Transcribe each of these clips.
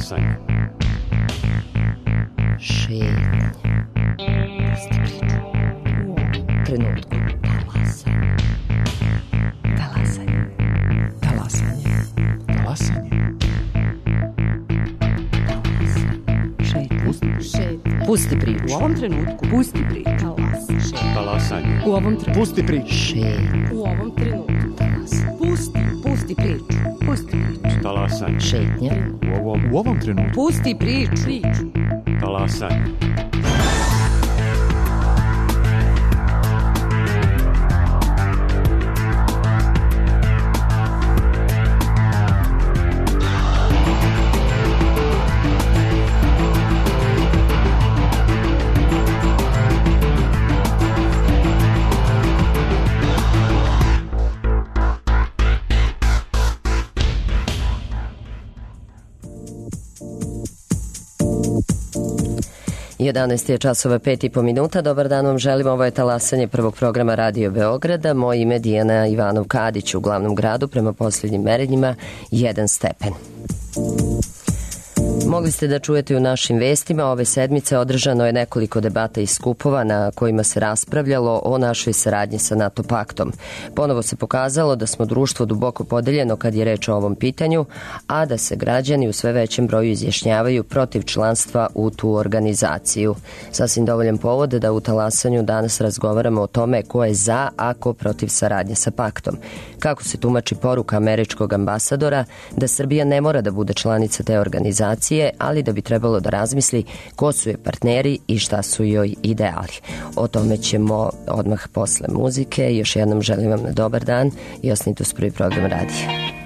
Talasanje. Šetnje. Pusti priču. U ovom trenutku. Talasanje. Talasanje. Talasanje. Talasanje. Šetnje. Pusti priču. U ovom trenutku. Pusti priču. Talasanje. U ovom trenutku. Pusti priču. Šetnje. U ovom trenutku. Pusti priču. Pusti priču. Talasanje. Šetnje. U ovom trenutku. Pusti priču. Talasanje. Jedanaest je časova 5,5 Dobar dan vam želim, ovo je talasanje prvog programa Radio Beograda. Moje ime je Dijana Ivanov-Kadić, u glavnom gradu prema posljednjim merenjima 1 stepen. Mogli ste da čujete u našim vestima, ove sedmice održano je nekoliko debata i skupova na kojima se raspravljalo o našoj saradnji sa NATO paktom. Ponovo se pokazalo da smo društvo duboko podeljeno kad je reč o ovom pitanju, a da se građani u sve većem broju izjašnjavaju protiv članstva u tu organizaciju. Sasvim dovoljan povod da u talasanju danas razgovaramo o tome ko je za, a ko protiv saradnje sa paktom. Kako se tumači poruka američkog ambasadora da Srbija ne mora da bude članica te organizacije, ali da bi trebalo da razmisli ko su je partneri i šta su joj ideali. O tome ćemo odmah posle muzike. Još jednom želim vam dobar dan i ostanite uz prvi program radija.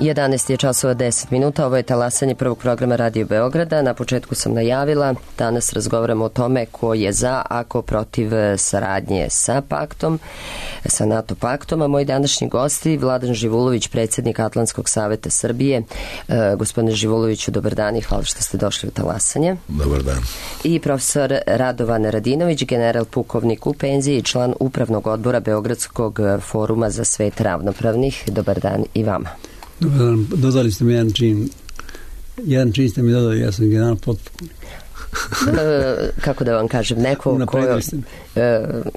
11 je časova 10 minuta, ovo je talasanje prvog programa Radio Beograda. Na početku sam najavila, danas razgovaramo o tome ko je za, a ko protiv saradnje sa paktom, sa NATO paktom, a moji današnji gosti, Vladan Živulović, predsjednik Atlantskog saveta Srbije. Gospodine Živuloviću, dobar dan i hvala što ste došli u talasanje. Dobar dan. I profesor Radovan Radinović, general pukovnik u penziji i član upravnog odbora Beogradskog foruma za svet ravnopravnih. Dobar dan i vama. Dobar dan, dodali ste mi jedan čin. Jedan čin ste mi dodali, ja sam general potpukovnik. Kako da vam kažem, neko kojo,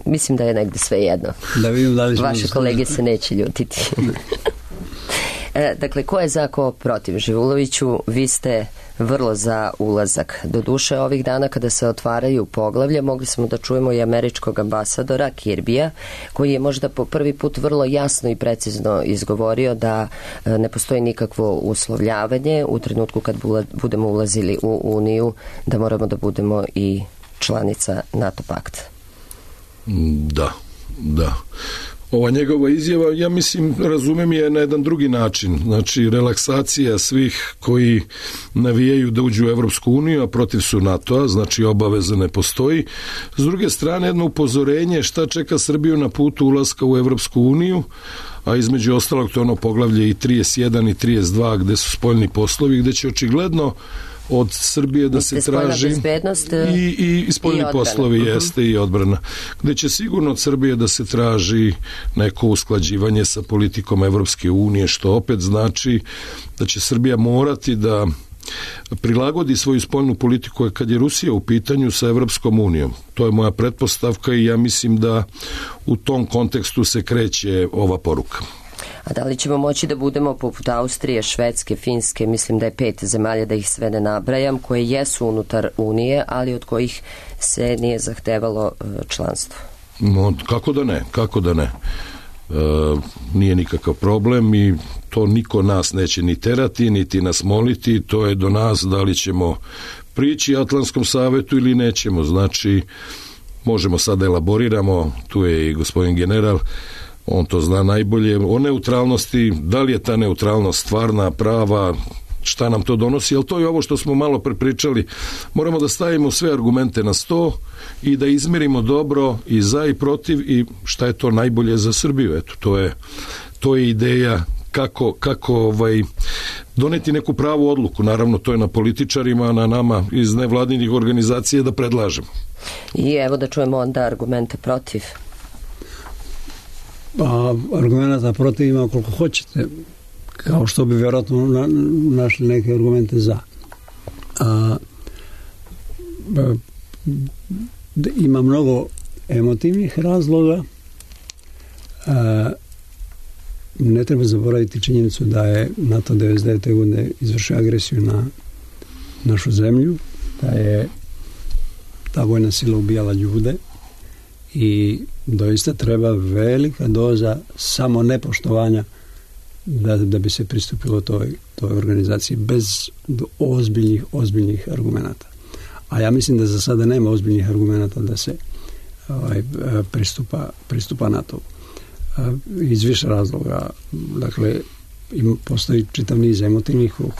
mislim da je negde sve jedno. Da vidim da li vaše kolege se neće ljutiti. Dakle, ko je za, ko protiv? Živuloviću, vi ste vrlo za ulazak. Doduše, ovih dana kada se otvaraju poglavlje, mogli smo da čujemo i američkog ambasadora Kirbija, koji je možda po prvi put vrlo jasno i precizno izgovorio da ne postoji nikakvo uslovljavanje u trenutku kad budemo ulazili u Uniju, da moramo da budemo i članica NATO pakta. Da. Ova njegova izjava, ja mislim, razumem je na jedan drugi način. Znači, relaksacija svih koji navijaju da uđu u Evropsku uniju, a protiv su NATO-a, znači obaveza ne postoji. S druge strane, jedno upozorenje šta čeka Srbiju na putu ulaska u Evropsku uniju, a između ostalog to ono poglavlje i 31 i 32 gde su spoljni poslovi, gde će očigledno od Srbije da se traži i spoljni poslovi jeste i odbrana, gde će sigurno od Srbije da se traži neko usklađivanje sa politikom Evropske unije, što opet znači da će Srbija morati da prilagodi svoju spoljnu politiku kad je Rusija u pitanju sa Evropskom unijom. To je moja pretpostavka i ja mislim da u tom kontekstu se kreće ova poruka. A da li ćemo moći da budemo poput Austrije, Švedske, Finske, mislim da je 5 zemalja, da ih sve ne nabrajam, koje jesu unutar Unije, ali od kojih se nije zahtevalo članstvo? Kako da ne? Nije nikakav problem i to niko nas neće ni terati, niti nas moliti, to je do nas da li ćemo prići Atlantskom savetu ili nećemo. Znači, možemo sad da elaboriramo, tu je i gospodin general, on to zna najbolje, o neutralnosti, da li je ta neutralnost stvarna, prava, šta nam to donosi, ali to je ovo što smo malo prepričali. Moramo da stavimo sve argumente na sto i da izmerimo dobro i za i protiv i šta je to najbolje za Srbiju. Eto, to je ideja kako doneti neku pravu odluku. Naravno, to je na političarima, na nama iz nevladinih organizacija da predlažemo. I evo da čujemo onda argumente protiv. Pa, argumenta protiv ima koliko hoćete, kao što bi vjerojatno našli neke argumente za. Ima mnogo emotivnih razloga. Ne treba zaboraviti činjenicu da je NATO 99. godine izvršio agresiju na našu zemlju, da je ta vojna sila ubijala ljude i doista treba velika doza samo nepoštovanja da bi se pristupilo toj organizaciji bez ozbiljnih argumenata. A ja mislim da za sada nema ozbiljnih argumenata da se pristupa NATO. Iz više razloga. Dakle, postoji čitav niz emotivnih o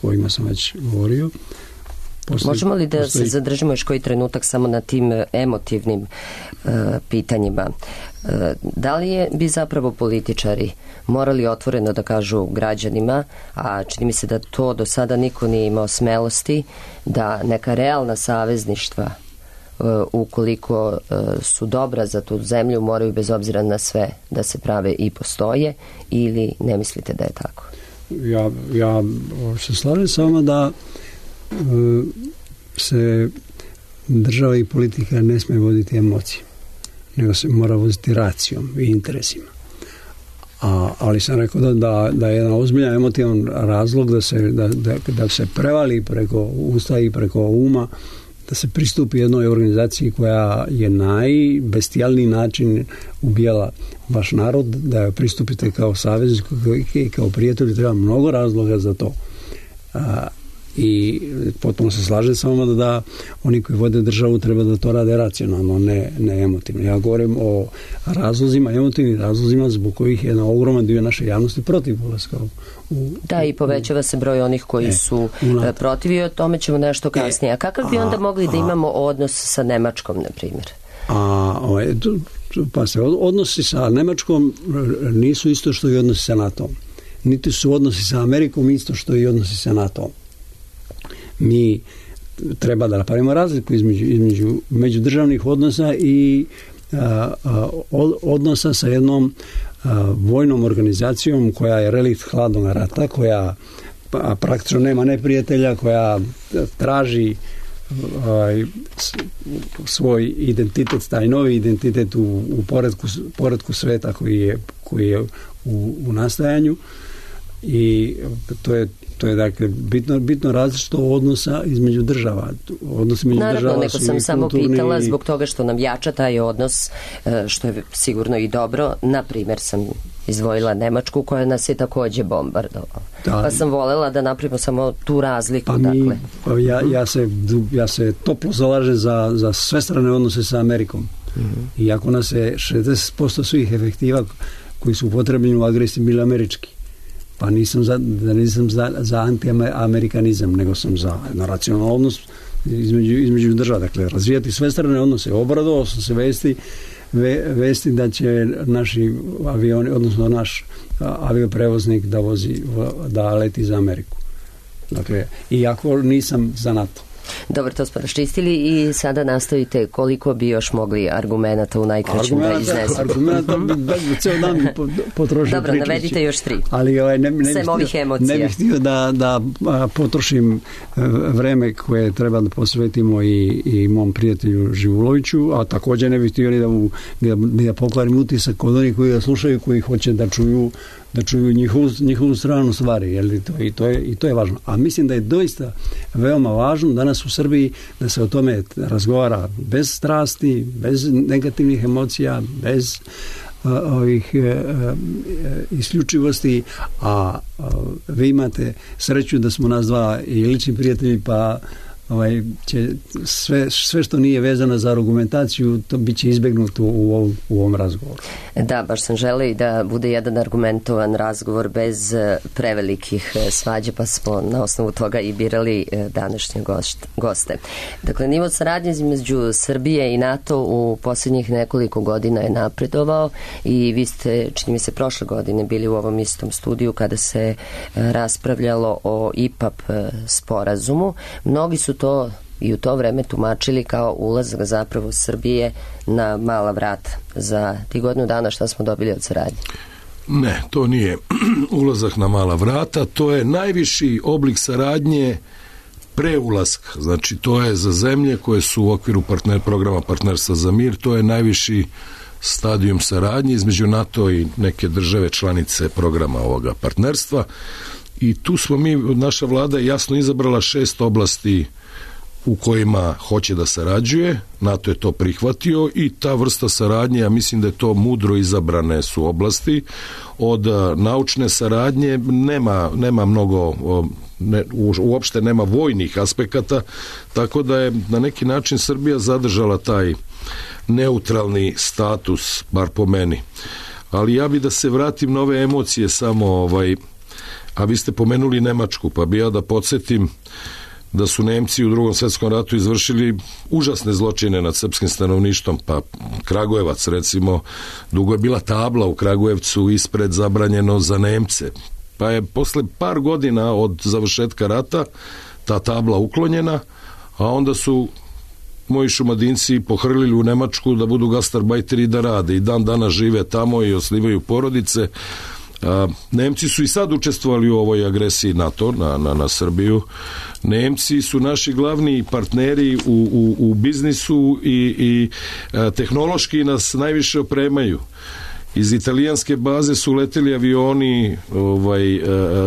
kojima sam već govorio. Možemo li da se zadržimo još koji trenutak samo na tim emotivnim pitanjima? Da li bi zapravo političari morali otvoreno da kažu građanima, a čini mi se da to do sada niko nije imao smelosti, da neka realna savezništva, ukoliko su dobra za tu zemlju, moraju bez obzira na sve da se prave i postoje, ili ne mislite da je tako? Ja se slažem s vama da se država i politika ne smije voditi emocijom, nego se mora voditi racijom i interesima. Ali sam rekao da je jedan ozbiljan emotivan razlog da se prevali preko usta i preko uma, da se pristupi jednoj organizaciji koja je najbestijalniji način ubijala vaš narod, da joj pristupite kao saveznik i kao prijatelj, treba mnogo razloga za to. I potpuno se slažem sa vama da oni koji vode državu treba da to rade racionalno, ne emotivno. Ja govorim o razlozima, emotivnim razlozima zbog kojih je na ogroman dio naše javnosti protiv ulaska Da, i povećava se broj onih koji su protiv i o tome ćemo nešto kasnije. A kakav bi onda mogli da imamo odnos sa Nemačkom, na primjer? Pa se odnosi sa Nemačkom nisu isto što i odnosi sa NATO-om. Niti su odnosi sa Amerikom isto što i odnosi sa NATO-om. Mi treba da napravimo razliku između međudržavnih odnosa i odnosa sa jednom vojnom organizacijom koja je relikt hladnog rata, koja praktično nema neprijatelja, koja traži svoj identitet, taj novi identitet u poretku sveta koji je u nastajanju, i to je dakle bitno različito odnosa između država. Naravno, neko sam samo pitala zbog toga što nam jača taj odnos, što je sigurno i dobro. Na primjer sam izdvojila Nemačku koja nas je takođe bombardovala. Pa sam volela da napravimo samo tu razliku. Ja se toplo zalažem za svestrane odnose sa Amerikom. Iako nas je 60% svih efektiva koji su upotrebljeni u agresiji bili američki. Pa nisam za anti-amerikanizam, nego sam za racionalni odnos između država. Dakle, razvijati svestrane odnose. Obradovao sam se vesti da će naši avioni, odnosno naš avioprevoznik da leti za Ameriku. Dakle, iako nisam za NATO. Dobro, to smo raščistili i sada nastavite koliko bi još mogli argumenata u najkraćem da iznesemo. Argumenata bi ceo dan potrošio. Dobro, navedite još 3. Ali sem ovih emocija. Ne bih htio da potrošim vreme koje treba da posvetimo i mom prijatelju Živuloviću, a također ne bih htio da pokvarim utisak kod onih koji ga slušaju, koji hoće da čuju njihovu stranu stvari, jer i to je važno. A mislim da je doista veoma važno danas u Srbiji da se o tome razgovara bez strasti, bez negativnih emocija, bez ovih isključivosti, a vi imate sreću da smo nas dva i lični prijatelji, pa će sve što nije vezano za argumentaciju, to bit će izbegnuto u ovom razgovoru. Da, baš sam želeo i da bude jedan argumentovan razgovor bez prevelikih svađa, pa smo na osnovu toga i birali današnje goste. Dakle, nivo saradnje između Srbije i NATO u posljednjih nekoliko godina je napredovao i vi ste, čini mi se, prošle godine bili u ovom istom studiju kada se raspravljalo o IPAP sporazumu. Mnogi su to i u to vreme tumačili kao ulazak zapravo Srbije na mala vrata. Za ti godinu dana šta smo dobili od saradnje? Ne, to nije ulazak na mala vrata, to je najviši oblik saradnje pre ulaska. Znači, to je za zemlje koje su u okviru programa Partnerstva za mir, to je najviši stadijum saradnje između NATO i neke države članice programa ovoga partnerstva. I tu smo naša vlada jasno izabrala 6 oblasti u kojima hoće da sarađuje. NATO je to prihvatio i ta vrsta saradnje, ja mislim da je to mudro izabrane su oblasti. Od naučne saradnje nema mnogo, uopšte nema vojnih aspekata, tako da je na neki način Srbija zadržala taj neutralni status, bar po meni. Ali ja bi da se vratim na ove emocije samo, a vi ste pomenuli Nemačku, pa bi ja da podsjetim da su Nemci u Drugom svjetskom ratu izvršili užasne zločine nad srpskim stanovništvom, pa Kragujevac recimo, dugo je bila tabla u Kragujevcu ispred zabranjeno za Nemce, pa je posle par godina od završetka rata ta tabla uklonjena, a onda su moji Šumadinci pohrlili u Nemačku da budu gastarbajteri i da rade i dan danas žive tamo i osnivaju porodice. Nemci su i sad učestvovali u ovoj agresiji NATO na Srbiju. Nemci su naši glavni partneri u biznisu i tehnološki nas najviše opremaju. Iz italijanske baze su leteli avioni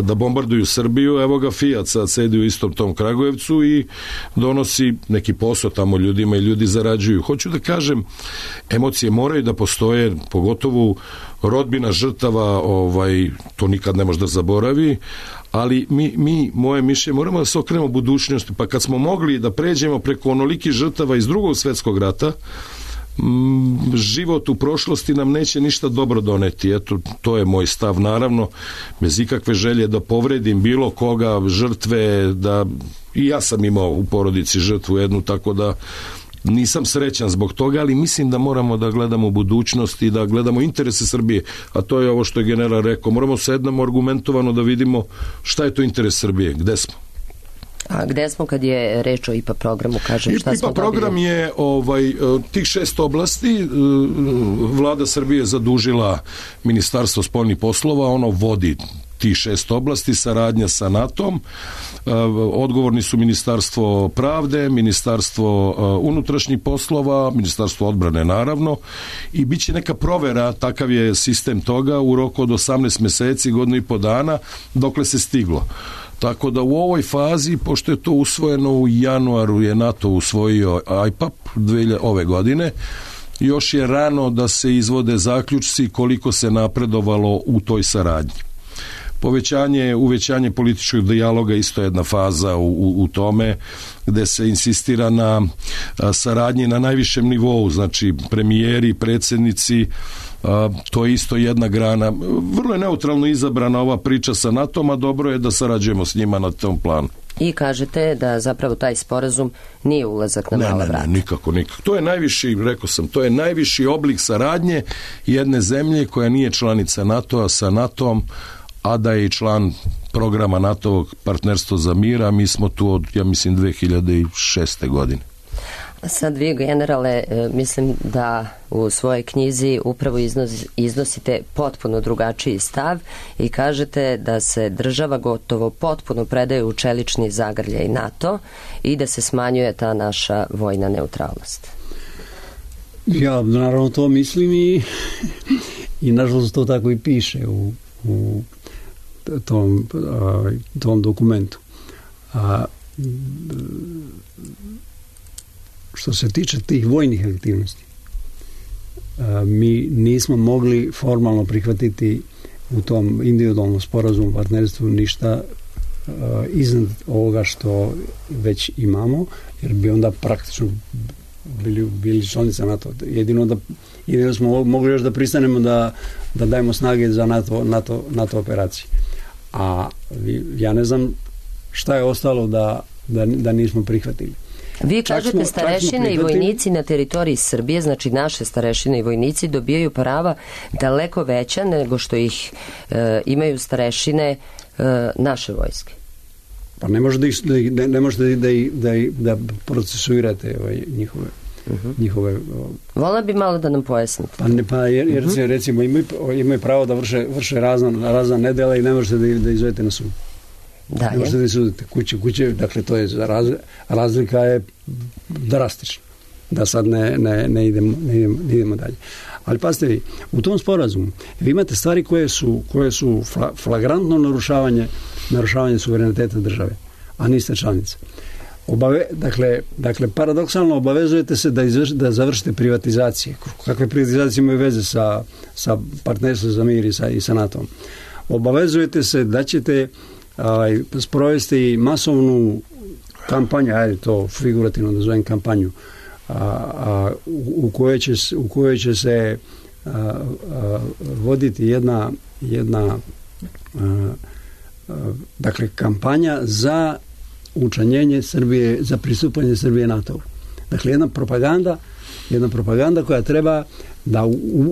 da bombarduju Srbiju, evo ga Fiat sad sedi u istom tom Kragujevcu i donosi neki posao tamo ljudima i ljudi zarađuju. Hoću da kažem, emocije moraju da postoje, pogotovo rodbina žrtava, to nikad ne može da zaboravi, ali moje mišljenje, moramo da se okrenemo budućnosti, pa kad smo mogli da pređemo preko onolikih žrtava iz Drugog svjetskog rata, život u prošlosti nam neće ništa dobro doneti. Eto, to je moj stav, naravno, bez ikakve želje da povredim bilo koga, žrtve, da i ja sam imao u porodici žrtvu jednu, tako da nisam srećan zbog toga, ali mislim da moramo da gledamo u budućnosti i da gledamo interese Srbije, a to je ovo što je general rekao, moramo sednemo argumentovano da vidimo šta je to interes Srbije, gde smo. A gde smo kad je reč o IPA programu, kažem, šta smo IPA program dobili? je tih 6 oblasti, vlada Srbije zadužila Ministarstvo spoljnih poslova, ono vodi tih 6 oblasti, saradnja sa NATO-om, odgovorni su Ministarstvo pravde, Ministarstvo unutrašnjih poslova, Ministarstvo odbrane naravno, i bit će neka provera, takav je sistem toga, u roku od 18 meseci, godinu i po dana, dokle se stiglo. Tako da u ovoj fazi, pošto je to usvojeno u januaru, je NATO usvojio IPAP ove godine, još je rano da se izvode zaključci koliko se napredovalo u toj saradnji. Uvećanje političkog dijaloga isto je jedna faza u tome, gde se insistira na saradnji na najvišem nivou, znači premijeri, predsjednici, to je isto jedna grana. Vrlo je neutralno izabrana ova priča sa NATO-om, a dobro je da sarađujemo s njima na tom planu. I kažete da zapravo taj sporazum nije ulazak na mala vrata. Ne, nikako. To je najviši, rekao sam, to je najviši oblik saradnje jedne zemlje koja nije članica NATO-a sa NATO-om, a da je i član programa NATO-ovog partnerstva za mir, a mi smo tu od, ja mislim, 2006. godine. Sad vi, generale, mislim da u svojoj knjizi upravo iznosite potpuno drugačiji stav i kažete da se država gotovo potpuno predaje u čelični zagrljaj NATO i da se smanjuje ta naša vojna neutralnost. Ja naravno to mislim i nažalost to tako i piše u tom dokumentu. Što se tiče tih vojnih aktivnosti, mi nismo mogli formalno prihvatiti u tom individualnom sporazumu partnerstvu ništa iznad ovoga što već imamo, jer bi onda praktično bili članica NATO. Jedino smo mogli još da pristanemo da dajemo snage za NATO operacije. A ja ne znam šta je ostalo da nismo prihvatili. Vi kažete starešine i vojnici na teritoriji Srbije, znači naše starešine i vojnici dobijaju prava daleko veća nego što ih imaju starešine naše vojske. Pa ne možete da procesuirate njihove... Vola bi malo da nam pojasnite. Jer recimo imaju pravo da vrše razna nedela i ne možete da izvedete na sud. Ne možete da sudite kuće, dakle to je razlika je drastična, da sad ne idemo dalje. Ali pazite vi, u tom sporazumu vi imate stvari koje su flagrantno narušavanje suvereniteta države, a niste članica. Dakle, paradoksalno obavezujete se da završite privatizacije. Kakve privatizacije imaju veze sa partnerstvom za mir i sa NATO-om? Obavezujete se da ćete sprovesti masovnu kampanju, ajde to figurativno da zovem kampanju, u kojoj će se voditi jedna dakle kampanja za učlanjenje Srbije, za pristupanje Srbije NATO-u. Dakle, jedna propaganda koja treba da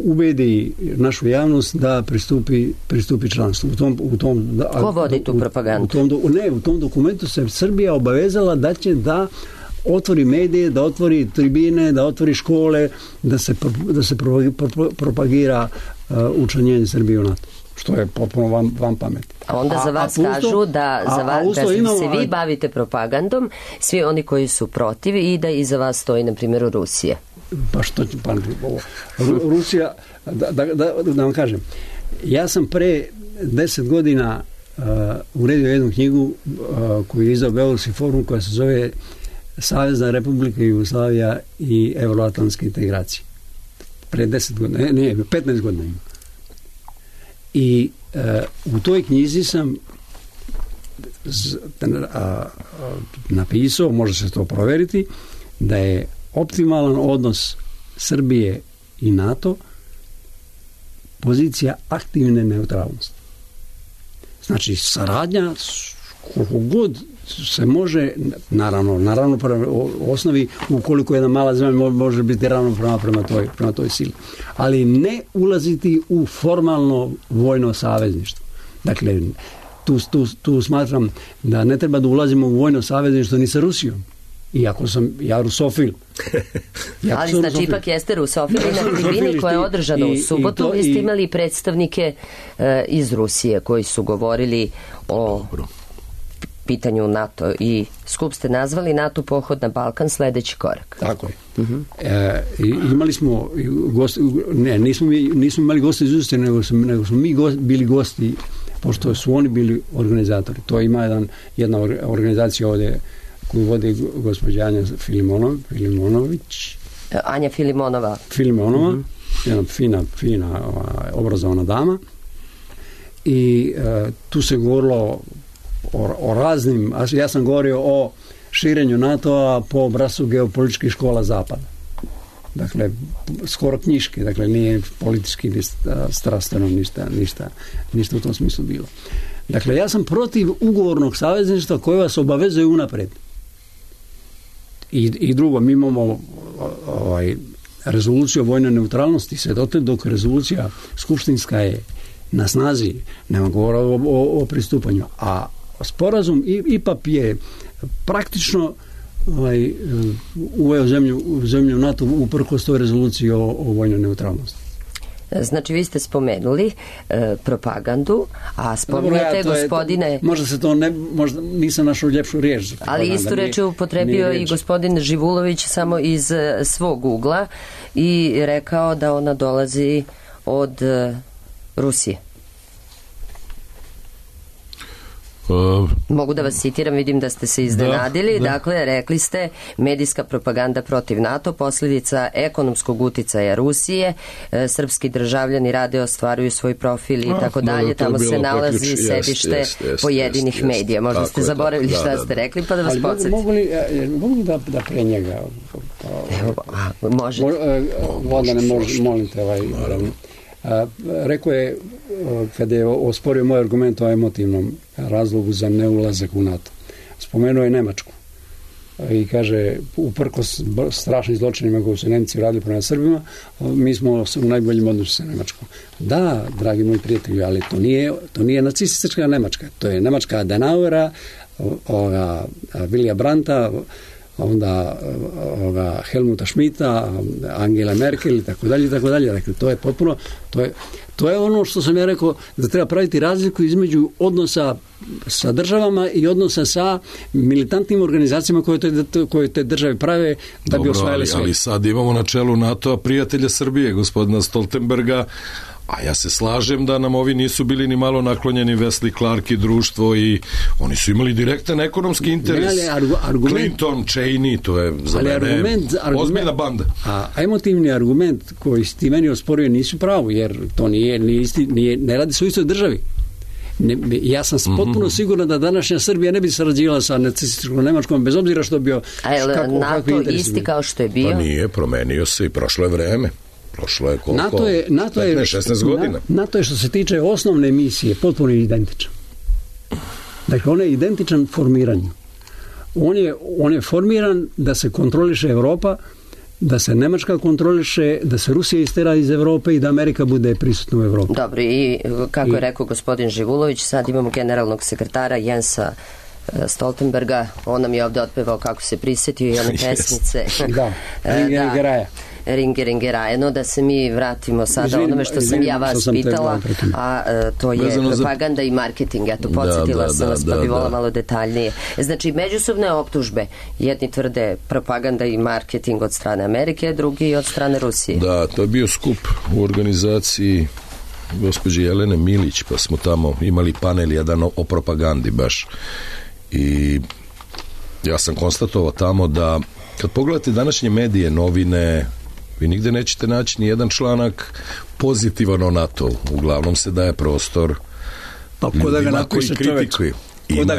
ubedi našu javnost da pristupi članstvu. Ko vodi tu propagandu? U tom dokumentu se Srbija obavezala da će da otvori medije, da otvori tribine, da otvori škole, da se propagira učlanjenje Srbije u NATO. Što je potpuno van pameti. A onda za vas kažu da se vi bavite propagandom, svi oni koji su protiv, i da iza vas stoji, na primjer, Rusija. Pa što će Rusija, da vam kažem, ja sam pre 10 godina uredio jednu knjigu koju je izdao Beogradski forum, koja se zove Savezna Republika Jugoslavija i evroatlantske integracije. Pre 10 godina, 15 godina ima. I u toj knjizi sam napisao, može se to proveriti, da je optimalan odnos Srbije i NATO pozicija aktivne neutralnosti. Znači, saradnja koliko god se može, naravno u osnovi, ukoliko jedna mala zemlja može biti ravnopravna prema toj sili, ali ne ulaziti u formalno vojno savezništvo. Dakle, tu smatram da ne treba da ulazimo u vojno savezništvo ni sa Rusijom. Iako sam ja rusofil. Ali znači ipak jeste rusofil i na tribini koja je održana u subotu vi ste imali predstavnike iz Rusije koji su govorili o pitanju NATO i skup ste nazvali NATO pohod na Balkan sledeći korak. Tako je. Imali smo nismo imali goste iz Rusije, nego smo mi bili gosti, pošto su oni bili organizatori. To ima jedna organizacija ovdje koju vodi gospođa Anja Filimonović. Anja Filimonova. Jedna fina obrazovana dama. I tu se govorilo o raznim, ja sam govorio o širenju NATO-a po obrascu geopolitičkih škola Zapada. Dakle, skoro knjiški, dakle nije politički strastveno ništa u tom smislu bilo. Dakle, ja sam protiv ugovornog savezništva koje vas obavezuje unapred. I drugo, mi imamo rezoluciju o vojnoj neutralnosti, sve dotle dok rezolucija skupštinska je na snazi, nema govora o pristupanju. A sporazum IPAP je praktično uveo zemlju NATO uprkos toj rezoluciji o vojnoj neutralnosti. Znači, vi ste spomenuli propagandu, a spominjate gospodine... Možda se to možda nisam našao ljepšu riječ. Ali istu reč je upotrebio i gospodin Živulović samo iz svog ugla i rekao da ona dolazi od Rusije. Mogu da vas citiram, vidim da ste se iznenadili. Dakle, rekli ste medijska propaganda protiv NATO, posljedica ekonomskog uticaja Rusije, srpski državljani rade, ostvaruju svoj profil i tako dalje, tamo se nalazi sedište pojedinih medija. Možda ste zaboravili šta ste rekli, pa da vas podsjetim. Mogu da pre njega možete. Vladane, molim te rekao je, kada je osporio moj argument o emotivnom razlogu za neulazak u NATO, spomenuo je Nemačku i kaže, uprkos strašnim zločinima koji su Nemci radili prema Srbima, mi smo u najboljim odnosu sa Nemačkom. Da, dragi moji prijatelji, ali to nije nacistička Nemačka, to je Nemačka Adenauera, Vilija Brandta, onda Helmuta Schmidta, Angela Merkel i tako dalje. Dakle, to je potpuno, to je ono što sam ja rekao, da treba praviti razliku između odnosa sa državama i odnosa sa militantnim organizacijama koje te države prave da bi osvajali sve. Ali sad imamo na čelu NATO-a prijatelja Srbije, gospodina Stoltenberga, a ja se slažem da nam ovi nisu bili ni malo naklonjeni, Wesley Clark i društvo, i oni su imali direktan ekonomski interes. Clinton, Cheney, to je za mene ozbiljna banda. A emotivni argument koji ti meni osporio nisu pravo, jer to ne radi se u istoj državi. Ja sam potpuno siguran da današnja Srbija ne bi sarađivala sa nacističkom Nemačkom, bez obzira što bio... A je NATO isti kao što je bio? Pa nije, promenio se i prošlo je vreme. Prošlo je koliko? 16 godina. NATO je, što se tiče osnovne misije, potpuno identičan. Dakle, on je identičan formiranju. On je formiran da se kontroliše Evropa, da se Nemačka kontroliše, da se Rusija istera iz Evrope i da Amerika bude prisutna u Evropi. Dobro, i kako je rekao gospodin Živulović, sad imamo generalnog sekretara Jensa Stoltenberga, on nam je ovdje otpevao kako se prisjetio i one pesmice. Da, Ringeraja. No, da se mi vratimo sada onome što sam ja vas pitala, a to je propaganda i marketing. Eto, podsjetila sam vas, pa bi volila malo detaljnije. Znači, međusobne optužbe. Jedni tvrde propaganda i marketing od strane Amerike, drugi od strane Rusije. Da, to je bio skup u organizaciji gospođe Jelene Milić, pa smo tamo imali panel jedan o propagandi baš. I ja sam konstatovao tamo da kad pogledate današnje medije, novine, vi nigde nećete naći ni jedan članak pozitivan o NATO. Uglavnom se daje prostor ljudima koji kritikuju. Ima.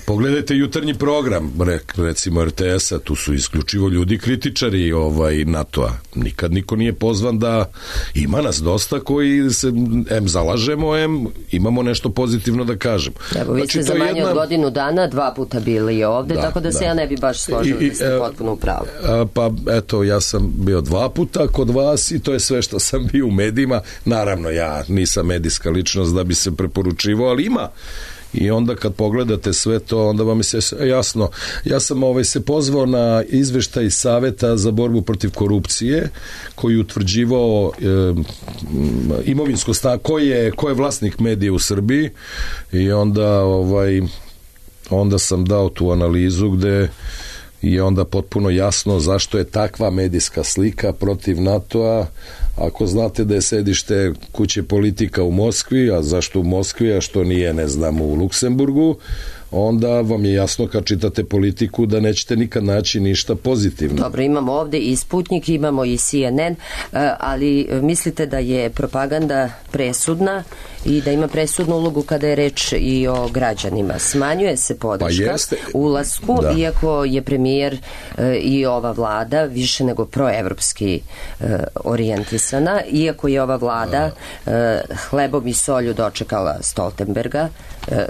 Pogledajte jutarnji program, recimo RTS-a, tu su isključivo ljudi kritičari NATO-a. Nikad niko nije pozvan da... Ima nas dosta koji se zalažemo, imamo nešto pozitivno da kažemo. Evo, vi ste za manje od godinu dana 2 puta bili ovde, tako da se ja ne bi baš složila da ste potpuno u pravu. Pa eto, ja sam bio 2 puta kod vas i to je sve što sam bio u medijima. Naravno, ja nisam medijska ličnost da bi se preporučivao, ali ima. I onda kad pogledate sve to, onda vam je jasno. Ja sam se pozvao na izveštaj Saveta za borbu protiv korupcije, koji utvrđivao imovinsko stanje, ko je vlasnik medija u Srbiji, i onda sam dao tu analizu gde je onda potpuno jasno zašto je takva medijska slika protiv NATO-a. Ako znate da je sedište kuće Politika u Moskvi, a zašto u Moskvi, a što nije, ne znam, u Luksemburgu, onda vam je jasno kad čitate Politiku da nećete nikad naći ništa pozitivno. Dobro, imamo ovde i Sputnik, imamo i CNN, ali mislite da je propaganda presudna i da ima presudnu ulogu kada je reč i o građanima? Smanjuje se podrška ulasku, iako je premijer i ova vlada više nego proevropski orijentisana, iako je ova vlada hlebom i solju dočekala Stoltenberga,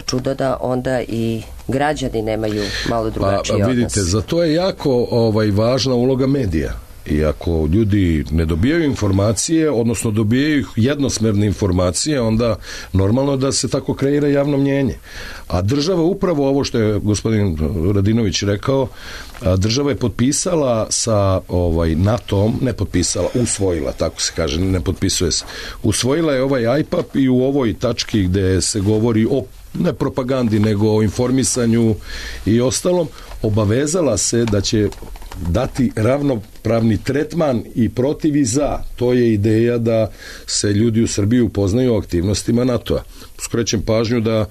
čudo da onda i građani nemaju malo drugačiji odnos. Vidite, za to je jako važna uloga medija. I ako ljudi ne dobijaju informacije, odnosno dobijaju jednosmerne informacije, onda normalno da se tako kreira javno mnjenje. A država, upravo ovo što je gospodin Radinović rekao, država je potpisala sa NATO-om, ne potpisala, usvojila, tako se kaže, ne potpisuje se. Usvojila je ovaj IPAP i u ovoj tački gde se govori o ne propagandi, nego o informisanju i ostalom, obavezala se da će dati ravnopravni tretman i protiv i za. To je ideja da se ljudi u Srbiji upoznaju o aktivnostima NATO-a. Skrećem pažnju da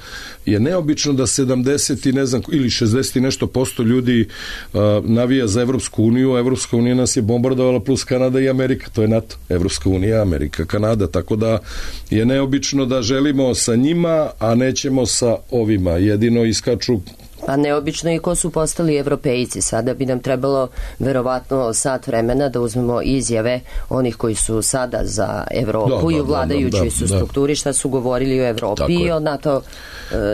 je neobično da 70 i ne znam, ili 60 i nešto posto ljudi navija za Evropsku uniju, a Evropska unija nas je bombardovala plus Kanada i Amerika, to je NATO. Evropska unija, Amerika, Kanada, tako da je neobično da želimo sa njima, a nećemo sa ovima. Jedino iskaču. A neobično i ko su postali evropejci. Sada bi nam trebalo verovatno sat vremena da uzmemo izjave onih koji su sada za Evropu i u vladajućoj su strukturi, šta su govorili o Evropi i o NATO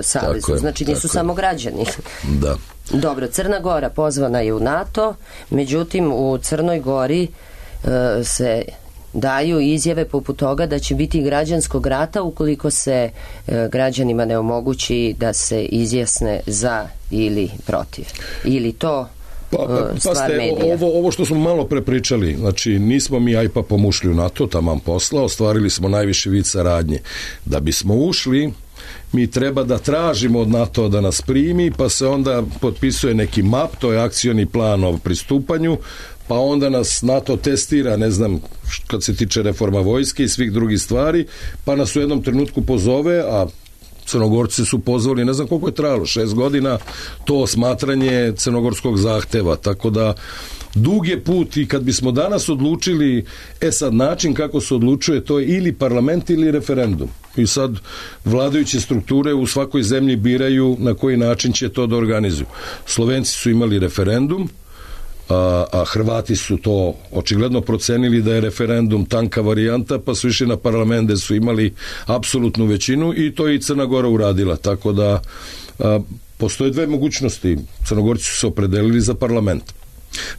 savezu. Znači nisu samo građani. Da. Dobro, Crna Gora pozvana je u NATO, međutim u Crnoj Gori se daju izjave poput toga da će biti građanskog rata ukoliko se građanima ne omogući da se izjasne za ili protiv. Ili to stvar medija? Ovo što smo malo prepričali, znači nismo mi IPAP-om ušli u NATO, taman posla, ostvarili smo najviši vid saradnje. Da bismo ušli, mi treba da tražimo od NATO da nas primi, pa se onda potpisuje neki MAP, to je akcioni plan o pristupanju, pa onda nas NATO testira, ne znam, kad se tiče reforma vojske i svih drugih stvari, pa nas u jednom trenutku pozove, a Crnogorci su pozvali, ne znam koliko je trajalo, 6 godina, to smatranje crnogorskog zahteva, tako da dug je put i kad bismo danas odlučili, sad način kako se odlučuje, to je ili parlament ili referendum. I sad vladajuće strukture u svakoj zemlji biraju na koji način će to da organizuju. Slovenci su imali referendum, a Hrvati su to očigledno procenili da je referendum tanka varijanta, pa su išli na parlament gde su imali apsolutnu većinu i to je i Crna Gora uradila, tako da postoje dve mogućnosti. Crnogorci su se opredelili za parlament.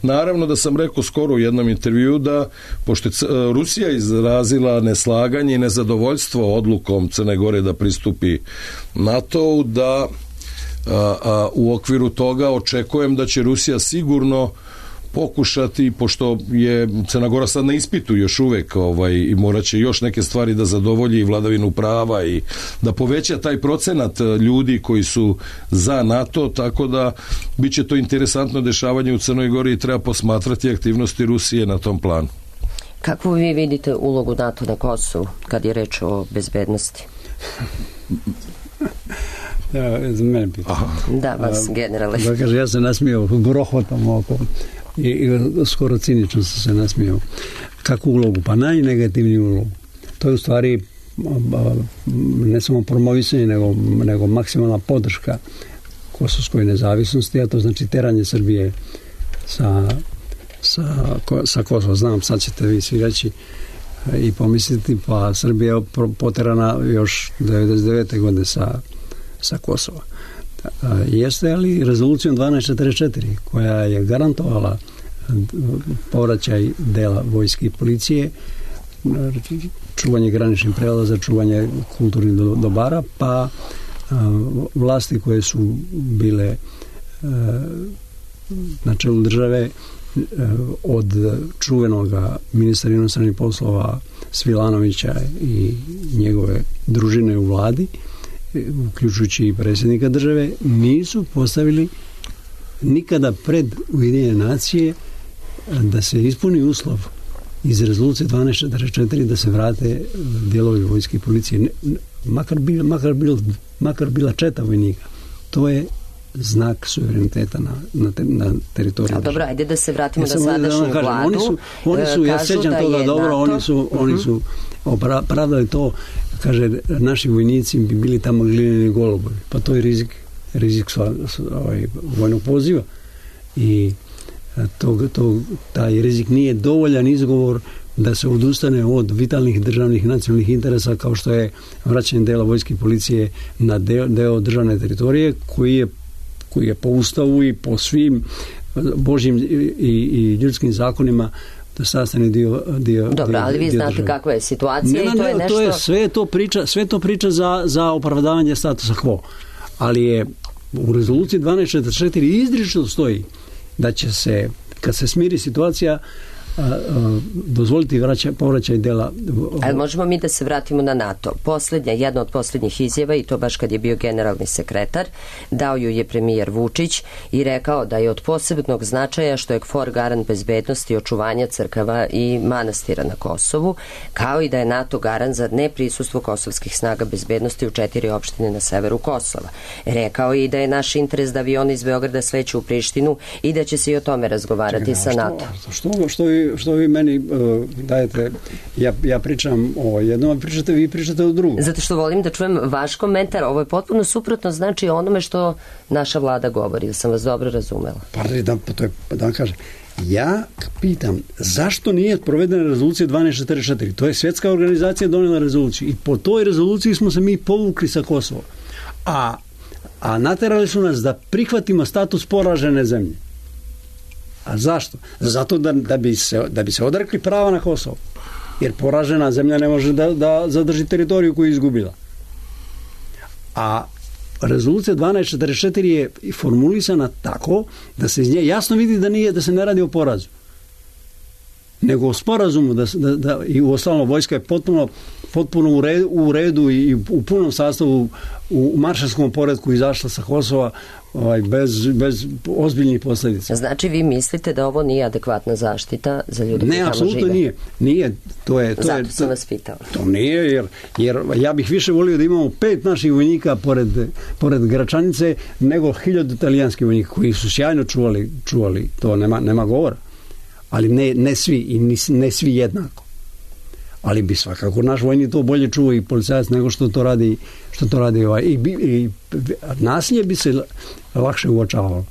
Naravno da sam rekao skoro u jednom intervju da, pošto je Rusija izrazila neslaganje i nezadovoljstvo odlukom Crne Gore da pristupi NATO-u, da u okviru toga očekujem da će Rusija sigurno pokušati, pošto je Crna Gora sad na ispitu još uvek i morat će još neke stvari da zadovolji i vladavinu prava i da poveća taj procenat ljudi koji su za NATO, tako da bit će to interesantno dešavanje u Crnoj Gori i treba posmatrati aktivnosti Rusije na tom planu. Kako vi vidite ulogu NATO na Kosovu kad je reč o bezbednosti? Za mene pitanje. Da, vas generale. Da kaže, ja se nasmijao grohotom oko i skoro cinično sam se nasmijao. Kakvu ulogu? Pa najnegativniju ulogu. To je u stvari ne samo promovisanje, nego maksimalna podrška kosovskoj nezavisnosti, a to znači teranje Srbije sa Kosova. Znam, sad ćete vi svi reći i pomisliti, pa Srbija je poterana još 99. godine sa Kosova. Jeste, ali rezolucijom 1244 koja je garantovala povraćaj dela vojske i policije, čuvanje graničnih prelaza, čuvanje kulturnih dobara, pa vlasti koje su bile na čelu države od čuvenog ministra inostranih poslova Svilanovića i njegove družine u vladi, uključujući i predsjednika države, nisu postavili nikada pred Ujedinjene nacije da se ispuni uslov iz rezolucije 1244 da se vrate dijelovi vojske i policije, makar bila četa vojnika. To je znak suvereniteta na teritoriju. Dobro, ajde da se vratimo na sadašnju vladu. Oni su, ja sećam toga dobro, oni su opravdali to, kaže, naši vojnici bi bili tamo glineni golubovi. Pa to je rizik vojnog poziva. I taj rizik nije dovoljan izgovor da se odustane od vitalnih državnih nacionalnih interesa, kao što je vraćanje dela vojske i policije na deo državne teritorije koji je po ustavu i po svim božjim i ljudskim zakonima sastavni dio. Dobro, ali vi znate države. Kakva je situacija i to je nešto... Sve to priča za opravdavanje statusa quo. Ali je u rezoluciji 1244 izričito stoji da će se, kad se smiri situacija, dozvoliti povraćaj dela. Ali možemo mi da se vratimo na NATO. Jedna od posljednjih izjava, i to baš kad je bio generalni sekretar, dao ju je premijer Vučić i rekao da je od posebnog značaja što je KFOR garant bezbednosti i očuvanja crkava i manastira na Kosovu, kao i da je NATO garant za neprisustvo kosovskih snaga bezbednosti u 4 opštine na severu Kosova. Rekao je i da je naš interes da avioni iz Beograda sleću u Prištinu i da će se i o tome razgovarati sa NATO. Što vi meni dajete, ja pričam o jednom, a vi pričate o drugom. Zato što volim da čujem vaš komentar. Ovo je potpuno suprotno znači onome što naša vlada govori, da sam vas dobro razumela. Da vam kažem, ja pitam zašto nije provedena rezolucija 1244? To je svjetska organizacija donijela rezoluciju i po toj rezoluciji smo se mi povukli sa Kosova. A naterali su nas da prihvatimo status poražene zemlje. A zašto? Zato da bi se odrekli prava na Kosovo. Jer poražena zemlja ne može da zadrži teritoriju koju je izgubila. A rezolucija 1244 je formulisana tako da se iz nje jasno vidi da se ne radi o porazu. Nego o sporazumu i uostalom vojska je potpuno u redu i u punom sastavu u maršalskom poretku izašla sa Kosova bez ozbiljnih posljedica. Znači vi mislite da ovo nije adekvatna zaštita za ljude koji tamo žive? Ne, apsolutno nije. Zato sam vas pitala. To nije, jer ja bih više volio da imamo 5 naših vojnika pored Gračanice nego 1000 italijanskih vojnika koji su sjajno čuvali. To nema govora. Ali ne svi i ne svi jednako. Ali bi svakako naš vojnik to bolje čuva i policajac nego što to radi i nasilje bi se lakše uočavalo.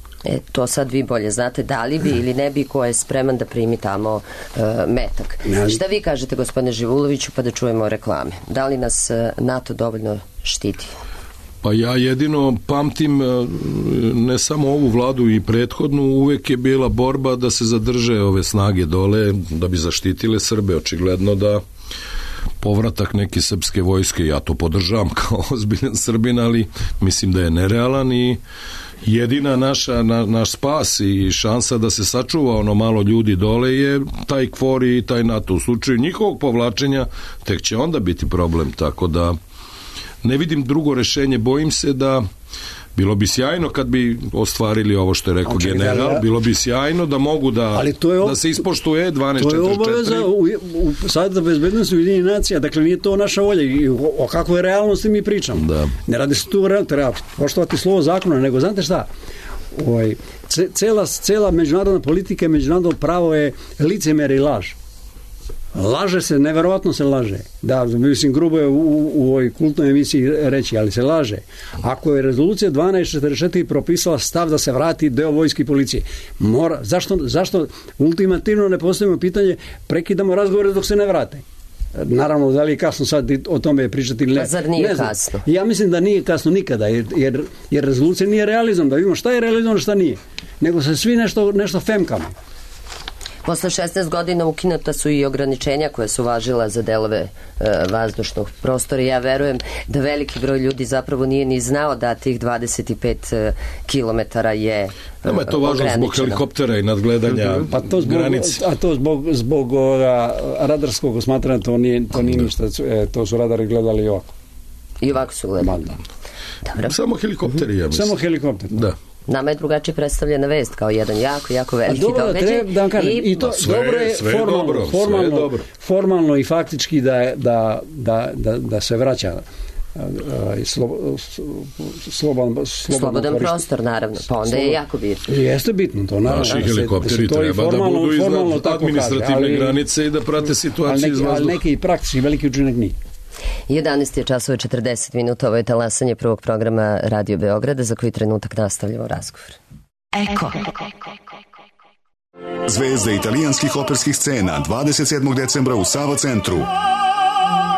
To sad vi bolje znate, da li bi ili ne bi ko je spreman da primi tamo metak. Šta vi kažete, gospodine Živuloviću, pa da čujemo reklame? Da li nas NATO dovoljno štiti? Pa ja jedino pamtim ne samo ovu vladu i prethodnu, uvek je bila borba da se zadrže ove snage dole, da bi zaštitile Srbe. Očigledno da povratak neke srpske vojske, ja to podržavam kao ozbiljan Srbin, ali mislim da je nerealan i jedina naš spas i šansa da se sačuva ono malo ljudi dole je taj KFOR i taj NATO. U slučaju njihovog povlačenja tek će onda biti problem, tako da ne vidim drugo rešenje. Bojim se da bilo bi sjajno kad bi ostvarili ovo što je rekao general, bilo bi sjajno da mogu da se ispoštuje 1244. To je obaveza u Savjetu bezbednosti Ujedinjenih nacija, dakle nije to naša volja i o kakvoj realnosti mi pričamo. Da. Ne radi se tu o realnosti, treba poštovati slovo zakona, nego znate šta, cela međunarodna politika i međunarodno pravo je licemjerje i laž. Laže se, neverovatno se laže. Da, mislim, grubo je u ovoj kultnoj emisiji reći, ali se laže. Ako je rezolucija 1244 propisala stav da se vrati deo vojske i policije, zašto ultimativno ne postavimo pitanje, prekidamo razgovore dok se ne vrate? Naravno, da li je kasno sad o tome pričati ili ne? Pa zar nije kasno? Ja mislim da nije kasno nikada, jer rezolucija nije realizam, da vidimo šta je realizam, šta nije. Nego se svi nešto femkamo. Posle 16 godina ukinuta su i ograničenja koje su važila za delove vazdušnog prostora. Ja verujem da veliki broj ljudi zapravo nije ni znao da tih 25 kilometara je nama je to važno zbog helikoptera i nadgledanja granice. A to zbog radarskog osmatranja to nije ništa. To su radari gledali ovako. I ovako su gledali. Dobro. Samo helikopteri, ja mislim. Samo helikopter. Da. Nama je drugačije predstavljena vest kao jedan jako veliki događaj. Da vam kažem, i to dobro je formalno i faktički da se vraća slobodan prostor, naravno, pa onda je jako bitno. Jeste bitno to, naravno. Naši helikopteri treba da budu iznad administrativne granice i da prate situaciju iz vazduha. Ali neki praktični veliki učinak nije. 11 je časova 40 minuta, ovo je talasanje prvog programa Radio Beograda, za koji trenutak nastavljamo razgovor. Eko. Zvezde italijanskih operskih scena 27. decembra u Sava centru.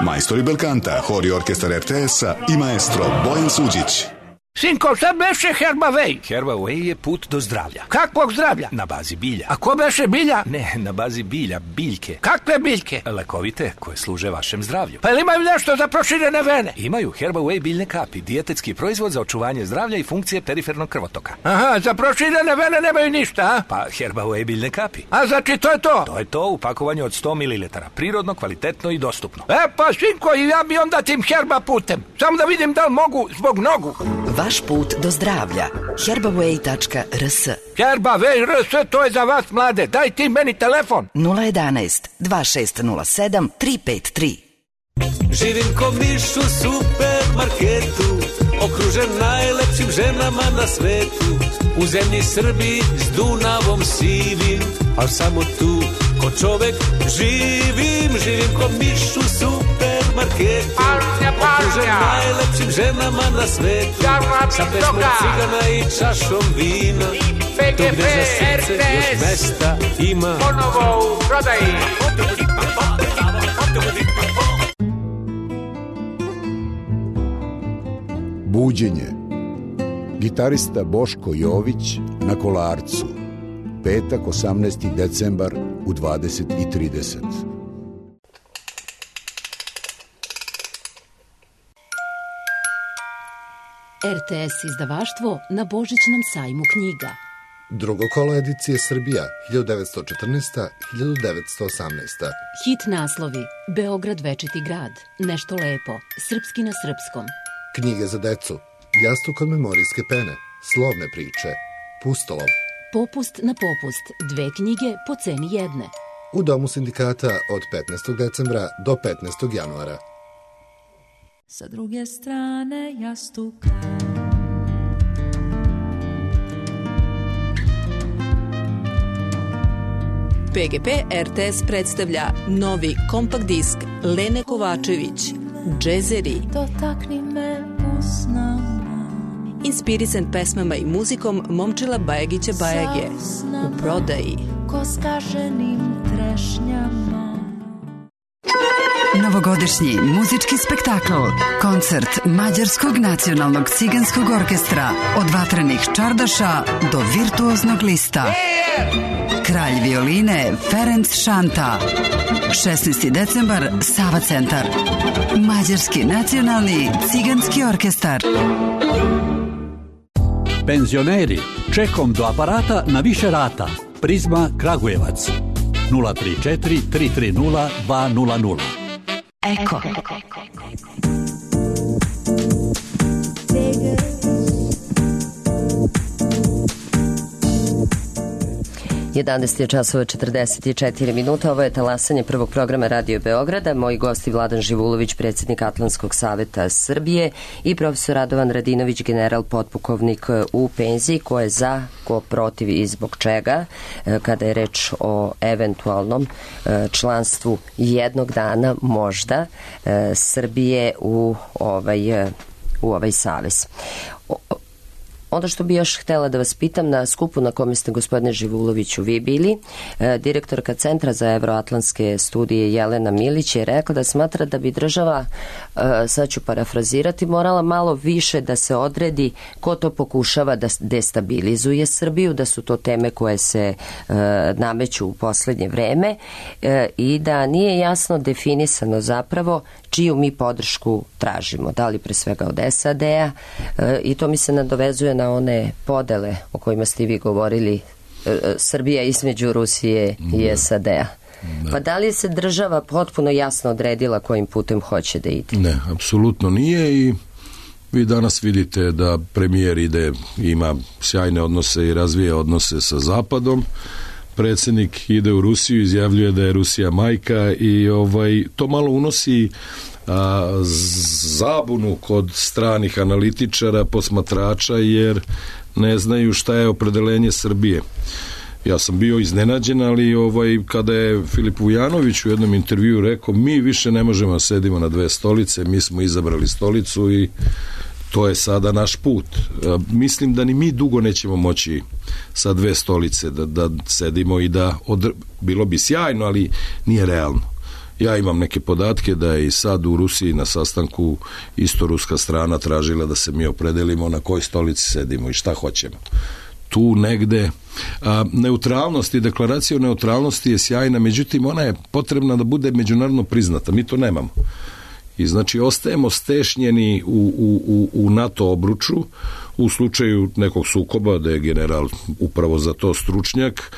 Majstori belkanta, hor i orkestar RTS-a i maestro Bojan Suđić. Sinko, šta beše Herbaway? Herbaway je put do zdravlja. Kakvog zdravlja? Na bazi bilja. A ko beše bilja? Ne, na bazi bilja, biljke. Kakve biljke? Lekovite, koje služe vašem zdravlju. Pa ili imaju nešto za proširene vene? Imaju Herbaway biljne kapi, dijetetski proizvod za očuvanje zdravlja i funkcije perifernog krvotoka. Aha, za proširene vene nemaju ništa, a? Pa Herbaway biljne kapi. A znači to je to? To je to u pakovanju od 100 ml. Prirodno, kvalitetno i dostupno. Pa sinko, i ja bi onda tim herba putem. Samo da vidim da li mogu zbog nogu. Vaš put do zdravlja. Herbaway.rs. Herbaway RS, to je za vas mlade. Daj ti meni telefon. 011 2607 353. Živim ko miš u supermarketu, okružen najlepšim ženama na svetu. U zemlji Srbiji s Dunavom sivim, a samo tu ko čovek živim. Živim ko miš u supermarketu, okružen najlepšim ženama na svetu. Sa pesmom cigana i čašom vina, to gde za srce još mesta ima. Ponovo u prodaji. Buđenje. Gitarista Boško Jović na Kolarcu. Petak, 18. decembar u 20:30. RTS izdavaštvo na Božićnom sajmu knjiga. Drugo kolo edicije Srbija 1914-1918. Hit naslovi: Beograd večiti grad, Nešto lepo, Srpski na srpskom. Knjige za decu: Jastuk od memorijske pene, Slovne priče, Pustolov. Popust na popust, 2 knjige po ceni jedne. U Domu sindikata od 15. decembra do 15. januara. Sa druge strane jastuka. PGP RTS predstavlja novi kompakt disk Lene Kovačević, Džezeri. Dotakni me usnama. Inspirisan pesmama i muzikom Momčila Bajagića Bajage. U prodaji. Ko skaženim trešnjama. Novogodišnji muzički spektakl, koncert Mađarskog nacionalnog ciganskog orkestra, od vatrenih čardaša do virtuoznog lista. Kralj violine Ferenc Šanta. 16. decembar, Sava centar. Mađarski nacionalni ciganski orkestar. Penzioneri, čekom do aparata na više rata. Prizma Kragujevac. 034 330 200. Eko. 11 je časova 44 minuta. Ovo je talasanje prvog programa Radio Beograda. Moji gosti Vladan Živulović, predsjednik Atlantskog saveta Srbije, i profesor Radovan Radinović, general potpukovnik u penziji. Ko je za, ko protiv i zbog čega kada je reč o eventualnom članstvu jednog dana možda Srbije u ovaj savez. Onda što bi još htjela da vas pitam, na skupu na kome ste, gospodine Živuloviću, vi bili, direktorka Centra za evroatlantske studije Jelena Milić je rekla da smatra da bi država, sad ću parafrazirati, morala malo više da se odredi ko to pokušava da destabilizuje Srbiju, da su to teme koje se nameću u poslednje vreme i da nije jasno definisano zapravo čiju mi podršku tražimo, da li pre svega od SAD-a, i to mi se nadovezuje na one podele o kojima ste vi govorili, Srbija između Rusije i SAD-a. Pa da li se država potpuno jasno odredila kojim putem hoće da ide? Ne, apsolutno nije, i vi danas vidite da premijer ima sjajne odnose i razvija odnose sa Zapadom. Predsjednik ide u Rusiju, izjavljuje da je Rusija majka, i to malo unosi zabunu kod stranih analitičara, posmatrača, jer ne znaju šta je opredelenje Srbije. Ja sam bio iznenađen, ali kada je Filip Vujanović u jednom intervjuu rekao, mi više ne možemo sedimo na dve stolice, mi smo izabrali stolicu i to je sada naš put. Mislim da ni mi dugo nećemo moći sa dve stolice da sedimo i da bilo bi sjajno, ali nije realno. Ja imam neke podatke da je i sad u Rusiji na sastanku isto ruska strana tražila da se mi opredelimo na kojoj stolici sedimo i šta hoćemo. Tu negde neutralnost i deklaracija o neutralnosti je sjajna, međutim ona je potrebna da bude međunarodno priznata. Mi to nemamo. I znači ostajemo stešnjeni u NATO obruču u slučaju nekog sukoba, da je general upravo za to stručnjak.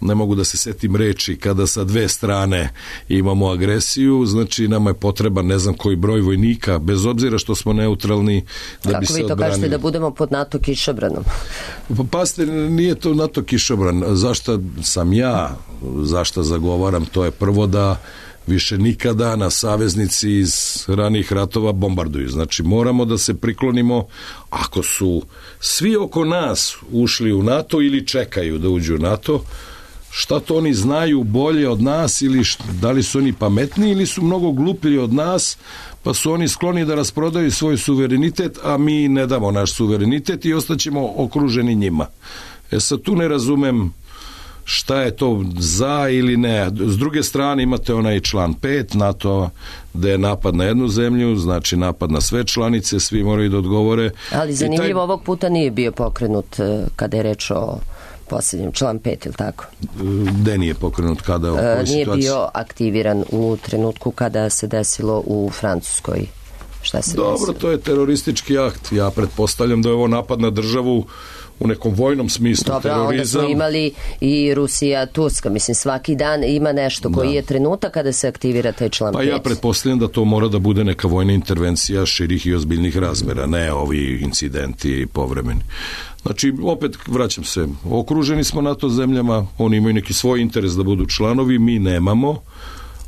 Ne mogu da se setim reči kada sa dve strane imamo agresiju, znači nama je potreban ne znam koji broj vojnika, bez obzira što smo neutralni, da kako bi se odbranili. Kako vi to kažete, da budemo pod NATO kišobranom? Pa pasite, nije to NATO kišobran. Zašto sam ja, zašto zagovaram, to je prvo da više nikada na saveznici iz ranih ratova bombarduju. Znači moramo da se priklonimo, ako su svi oko nas ušli u NATO ili čekaju da uđu u NATO, šta to oni znaju bolje od nas, ili da li su oni pametniji ili su mnogo gluplji od nas, pa su oni skloni da rasprodaju svoj suverenitet, a mi ne damo naš suverenitet i ostaćemo okruženi njima. Sad tu ne razumem šta je to za ili ne. S druge strane imate onaj član 5 NATO, da je napad na jednu zemlju, znači napad na sve članice, svi moraju da odgovore. Ali zanimljivo, ovog puta nije bio pokrenut kada je reč o posljednjem, član 5, ili tako? Gde nije pokrenut, kada? Nije bio aktiviran u trenutku kada se desilo u Francuskoj. Šta se Dobro, desilo? to je teroristički akt. Ja pretpostavljam da je ovo napad na državu u nekom vojnom smislu. Dobro, terorizam. onda smo imali i Rusija, Turska, mislim svaki dan ima nešto koji je trenutak kada se aktivira taj član 5. Pa ja pretpostavljam da to mora da bude neka vojna intervencija širih i ozbiljnih razmera, ne ovi incidenti povremeni. Znači, opet vraćam se, okruženi smo NATO zemljama, oni imaju neki svoj interes da budu članovi, mi nemamo.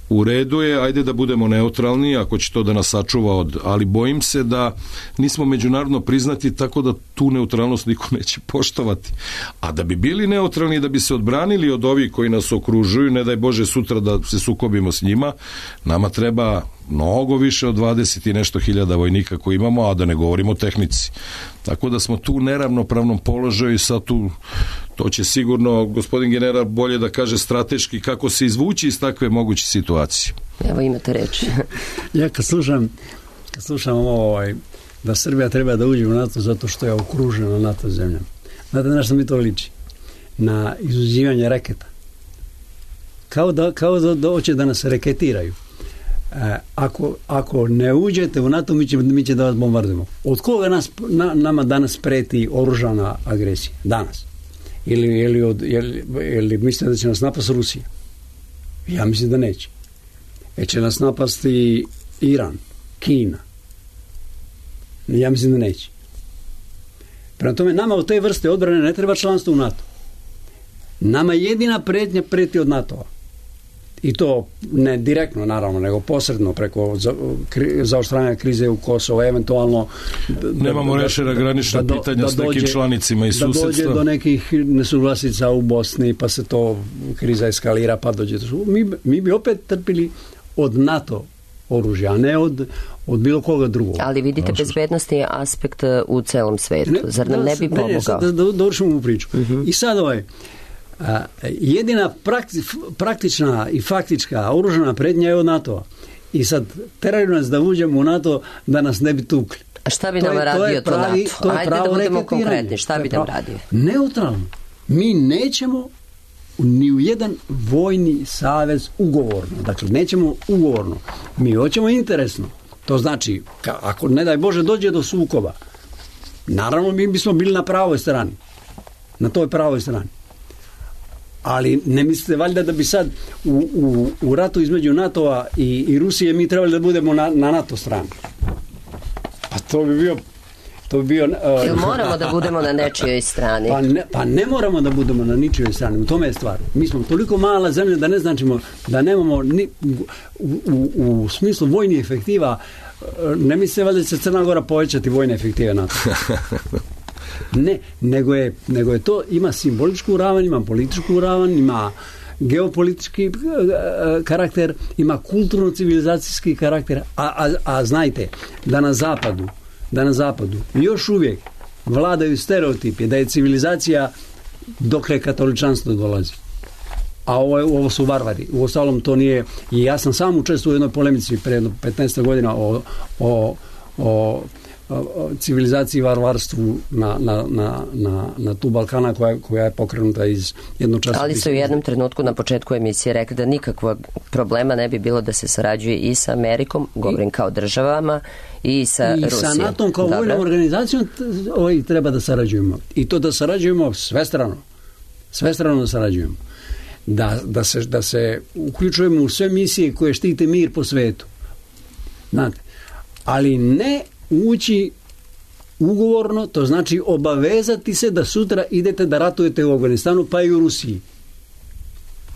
U redu je, ajde da budemo neutralni, ako će to da nas sačuva ali bojim se da nismo međunarodno priznati, tako da tu neutralnost niko neće poštovati. A da bi bili neutralni, da bi se odbranili od ovih koji nas okružuju, ne daj Bože sutra da se sukobimo s njima, nama treba mnogo više od 20 i nešto hiljada vojnika koji imamo, a da ne govorimo o tehnici. Tako da smo tu u neravnopravnom položaju i sad tu, to će sigurno gospodin general bolje da kaže strateški kako se izvući iz takve moguće situacije. Evo imate reč. Ja kad slušam ovo, da Srbija treba da uđe u NATO zato što je okružena NATO zemljama. Znate na što mi to liči? Na izuđivanje raketa. Kao da hoće da nas reketiraju. Ako ne uđete u NATO, mi će da vas bombardujemo. Od koga nama danas preti oružana agresija? Danas. Ili mislite da će nas napasti Rusija? Ja mislim da neće. Će nas napasti Iran, Kina? Ja mislim da neće. Prema tome, nama u te vrste odbrane ne treba članstvo u NATO. Nama jedina pretnja preti od NATO-a. I to ne direktno, naravno, nego posredno preko zaoštravanja krize u Kosovo, eventualno... Nemamo rešena granična pitanja s nekim članicima i susedstva. Da dođe do nekih nesuglasica u Bosni, pa se to kriza eskalira, pa dođe... Mi bi opet trpili od NATO oružja, a ne od bilo koga drugog. Ali vidite bezbednostni aspekt u celom svetu. Zar nam ne bi pomogao? Da dovršimo u priču. I sad jedina praktična i faktička oružana prednja je od NATO-a. I sad teraju nas da uđemo u NATO da nas ne bi tukli. A šta bi nam radio to NATO? Ajde da budemo konkretni. Šta bi nam radio? Neutralno. Mi nećemo ni u jedan vojni savez ugovorno. Dakle, nećemo ugovorno. Mi hoćemo interesno. To znači, ako ne daj Bože dođe do sukoba, naravno mi bismo bili na pravoj strani. Na toj pravoj strani. Ali ne mislite valjda da bi sad u ratu između NATO-a i Rusije mi trebali da budemo na NATO strani? Pa to bi bio... moramo da budemo na nečijoj strani? Pa ne moramo da budemo na ničijoj strani. U tome je stvar. Mi smo toliko mala zemlja da ne značimo da nemamo u smislu vojnih efektiva. Ne mislite valjda da će Crna Gora povećati vojne efektive NATO? Ne, nego je to, ima simboličku ravan, ima političku ravan, ima geopolitički karakter, ima kulturno-civilizacijski karakter, a znajte da na zapadu još uvijek vladaju stereotipi da je civilizacija dokle katoličanstvo dolazi. A ovo su varvari. U ostalom to nije, i ja sam sam učestvovao u jednoj polemici pre 15 godina o civilizaciji i varvarstvu na tu Balkana koja je pokrenuta iz jednog časa. Ali su u jednom trenutku na početku emisije rekli da nikakvog problema ne bi bilo da se sarađuje i sa Amerikom, govorim kao državama, i sa Rusijom. I sa NATO kao vojnom organizacijom treba da sarađujemo. I to da sarađujemo svestrano. Svestrano da sarađujemo. Da se uključujemo u sve misije koje štite mir po svetu. Znate, ali ne ući ugovorno, to znači obavezati se da sutra idete da ratujete u Afganistanu, pa i u Rusiji.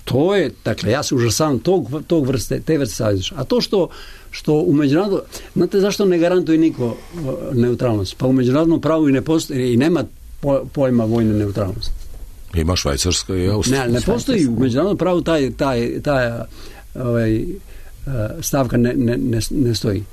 To je, dakle, ja se užasavam te vrste saveza. A to što u međunarodnom, znate zašto ne garantuje niko neutralnost? Pa u međunarodnom pravu i ne postoji, i nema pojma vojne neutralnosti. Ima Švajcarska i Austrija. Ne postoji u međunarodnom pravu taj stavka ne stoji.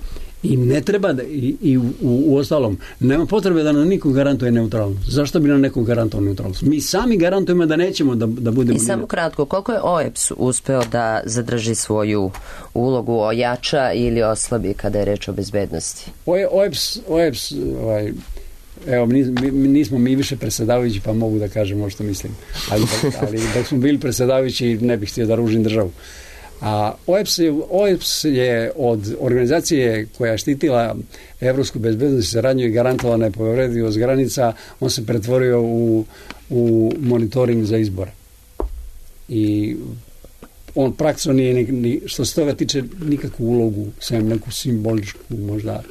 I ne treba i u ostalom nema potrebe da nam niko garantuje neutralnost. Zašto bi nam neko garantovao neutralnost? Mi sami garantujemo da nećemo da budemo... I samo kratko, koliko je OEBS uspeo da zadrži svoju ulogu, ojača ili oslabi kada je reč o bezbednosti? OEBS evo, nismo mi više predsjedavajući, pa mogu da kažem što mislim. Ali dok smo bili predsjedavajući ne bih htio da ružim državu. A OEBS je od organizacije koja je štitila evropsku bezbednost i saradnju i garantovala nepovredivost granica, on se pretvorio u monitoring za izbore. I on praktično nije, što se toga tiče, nikakvu ulogu, sem neku simboličku, možda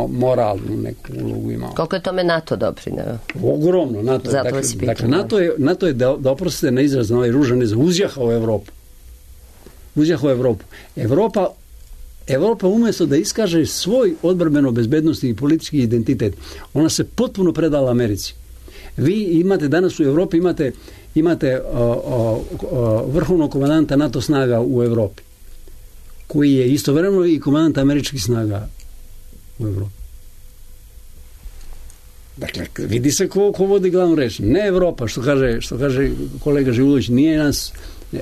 moralnu neku ulogu imao. Koliko je tome NATO doprineo? Ogromno. NATO je da oprostite na izraz na ovaj ružan izraz, uzjahao Evropu. Evropa umjesto da iskaže svoj odbrambeno bezbednosti i politički identitet, ona se potpuno predala Americi. Vi imate danas u Evropi imate vrhovnog komandanta NATO snaga u Evropi, koji je istovremeno i komandant američkih snaga u Evropi. Dakle, vidi se ko vodi glavnu reč. Ne Evropa, što kaže kolega Živulović, nije nas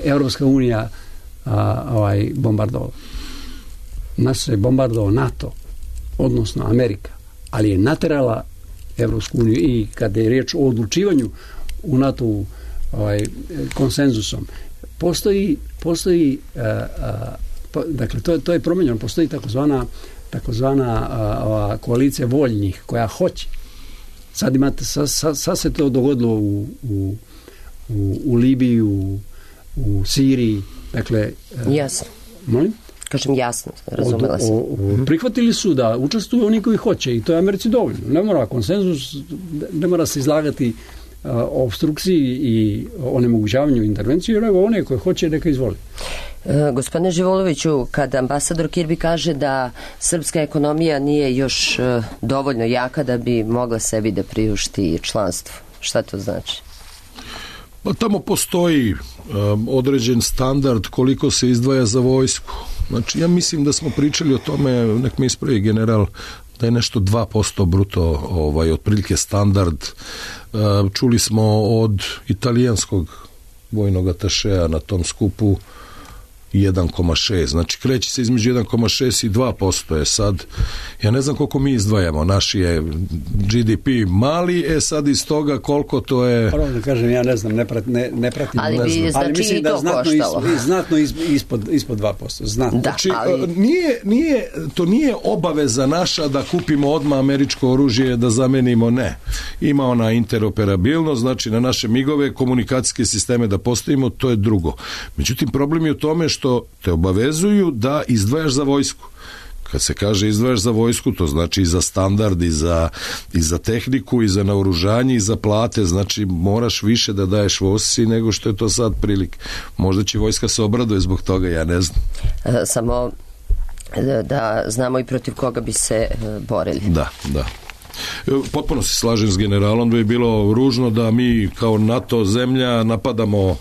Evropska unija bombardovao. Nas je bombardovao NATO, odnosno Amerika, ali je naterala Evropsku uniju i kada je riječ o odlučivanju u NATO konsenzusom, postoji dakle, to je promenjeno, postoji takozvana koalicija voljnih koja hoće. Sad se to dogodilo u Libiji, u Siriji, dakle... Jasno. Molim? Kažem jasno, razumela sam. Prihvatili su da učestvuju oni koji hoće i to je Americi dovoljno. Ne mora konsenzus, ne mora se izlagati obstrukciji i onemogućavanju intervenciju, nego one koje hoće neka izvoli. Gospodine Živoloviću, kad ambasador Kirby kaže da srpska ekonomija nije još dovoljno jaka da bi mogla sebi da priušti članstvo, šta to znači? Pa tamo postoji određen standard koliko se izdvaja za vojsku. Znači, ja mislim da smo pričali o tome, nek me ispravi general, da je nešto 2% bruto otprilike standard. Čuli smo od italijanskog vojnog atašeja na tom skupu 1,6. Znači, kreće se između 1,6 i 2%. Je sad, ja ne znam koliko mi izdvajamo. Naš je GDP mali, sad iz toga koliko to je... Prvo da kažem, ja ne znam, ne pratim. Ali bi, znači, mislim da znatno ispod 2%. Znatno. Da, znači, ali... to nije obaveza naša da kupimo odmah američko oružje, da zamenimo, ne. Ima ona interoperabilnost, znači na naše migove, komunikacijske sisteme da postavimo, to je drugo. Međutim, problem je u tome što te obavezuju da izdvajaš za vojsku. Kad se kaže izdvajaš za vojsku, to znači i za standard, i za tehniku, i za naoružanje, i za plate, znači moraš više da daješ vojsci nego što je to sad prilike. Možda će vojska se obraduje zbog toga, ja ne znam. Samo da znamo i protiv koga bi se borili. Da. Potpuno se slažem s generalom da je bilo ružno da mi kao NATO zemlja napadamo.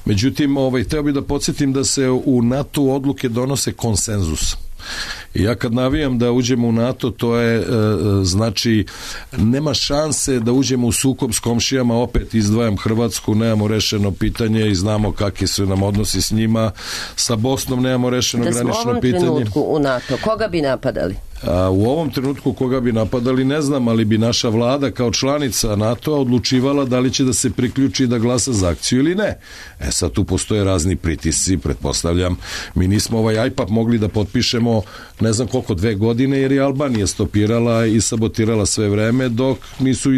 Međutim, hteo bih da podsjetim da se u NATO odluke donose konsenzus. I ja kad navijam da uđemo u NATO, to je, znači, nema šanse da uđemo u sukob s komšijama, opet izdvajam Hrvatsku, nemamo rešeno pitanje i znamo kakvi su nam odnosi s njima, sa Bosnom nemamo rešeno granično pitanje. Da smo u ovom trenutku u NATO, koga bi napadali? U ovom trenutku koga bi napadali ne znam, ali bi naša vlada kao članica NATO-a odlučivala da li će da se priključi i da glasa za akciju ili ne. Sad tu postoje razni pritisci, pretpostavljam. Mi nismo ovaj IPAP mogli da potpišemo ne znam koliko, 2 godine, jer je Albanija stopirala i sabotirala sve vreme, dok nisu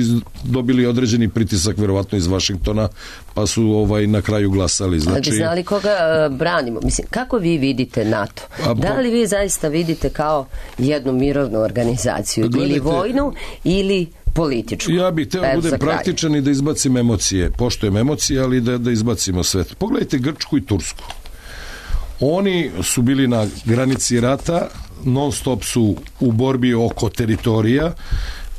dobili određeni pritisak, verovatno iz Vašingtona, pa su na kraju glasali. Znači, da znali koga branimo? Mislim, kako vi vidite NATO? Da li vi zaista vidite kao jednu mirovnu organizaciju, ili vojnu, ili političku? Ja bih teo budem praktičan i da izbacim emocije. Poštujem emocije, ali da izbacimo sve. Pogledajte Grčku i Tursku. Oni su bili na granici rata, non stop su u borbi oko teritorija.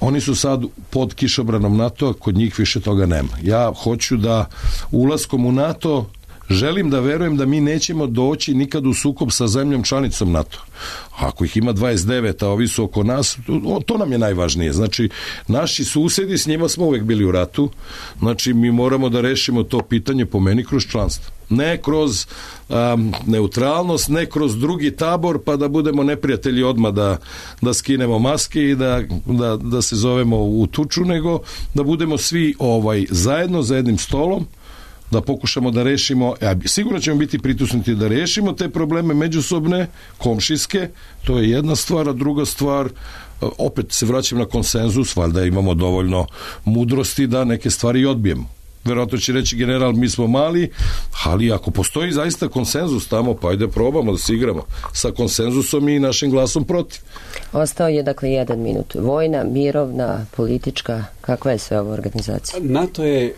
Oni su sad pod kišobranom NATO-a, kod njih više toga nema. Ja hoću da ulaskom u NATO želim da verujem da mi nećemo doći nikad u sukob sa zemljom članicom NATO. Ako ih ima 29, a ovi su oko nas, to nam je najvažnije. Znači, naši susedi, s njima smo uvek bili u ratu. Znači, mi moramo da rešimo to pitanje, po meni, kroz članstvo. Ne kroz neutralnost, ne kroz drugi tabor, pa da budemo neprijatelji odmah da skinemo maske i da se zovemo u tuču, nego da budemo svi zajedno za jednim stolom, da pokušamo da rešimo, sigurno ćemo biti pritisnuti da rešimo te probleme međusobne, komšijske, to je jedna stvar, a druga stvar, opet se vraćam na konsenzus, valjda imamo dovoljno mudrosti da neke stvari odbijemo. Verovatno će reći general, mi smo mali, ali ako postoji zaista konsenzus tamo, pa ajde probamo da se igramo sa konsenzusom i našim glasom protiv. Ostao je dakle 1 minut. Vojna, mirovna, politička, kakva je sve ova organizacija? NATO je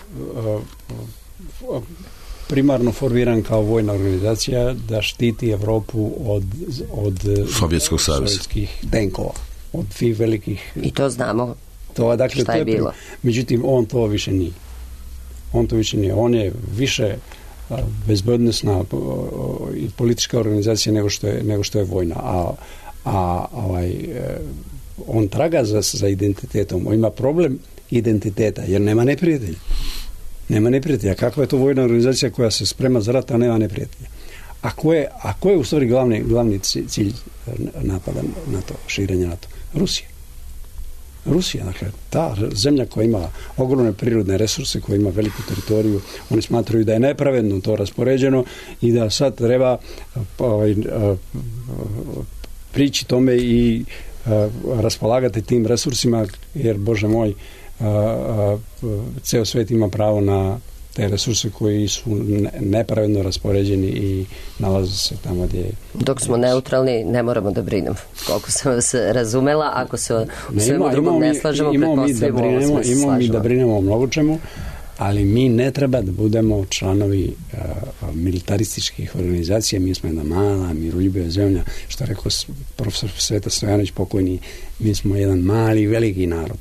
primarno formiran kao vojna organizacija da štiti Evropu od Sovjetskog saveza, sovjetskih tenkova, od svih velikih. I to znamo šta je bilo. Međutim, on to više nije. On je više bezbednosna i politička organizacija nego što je vojna. On traga za identitetom. On ima problem identiteta, jer nema neprijatelja. Nema neprijatelja. Kakva je to vojna organizacija koja se sprema za rat, a nema neprijatelja? A ko je u stvari glavni cilj napada NATO, širenja NATO? Rusija, dakle, ta zemlja koja ima ogromne prirodne resurse, koja ima veliku teritoriju, oni smatraju da je nepravedno to raspoređeno i da sad treba prići tome i raspolagati tim resursima, jer, Bože moj, ceo svet ima pravo te resurse koji su nepravedno raspoređeni i nalaze se tamo gdje... Dok smo neutralni, ne moramo da brinemo. Koliko sam se razumela, ako se o svemu drugom ne slažemo, pretpostavljamo imamo mi da brinemo o mnogo čemu, ali mi ne treba da budemo članovi militarističkih organizacija. Mi smo jedna mala, miroljubiva zemlja, što je rekao profesor Sveta Stojanović pokojni, mi smo jedan mali, veliki narod.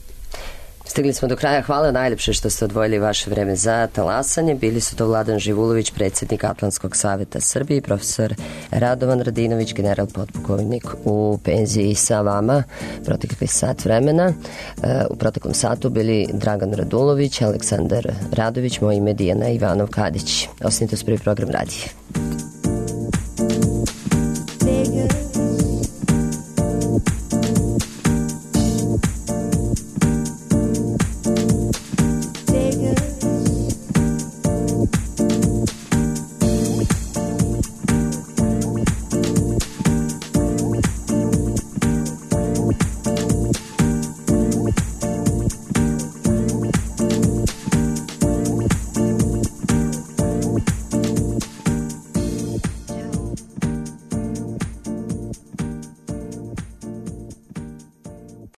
Stigli smo do kraja. Hvala najljepše što ste odvojili vaše vreme za talasanje. Bili su to Vladan Živulović, predsjednik Atlantskog savjeta Srbije, i profesor Radovan Radinović, general potpukovnik u penziji, sa vama protekli sat vremena. U proteklom satu bili Dragan Radulović, Aleksandar Radović, moje ime Dijana Ivanov Kadić. Ostanite uz prvi program radije.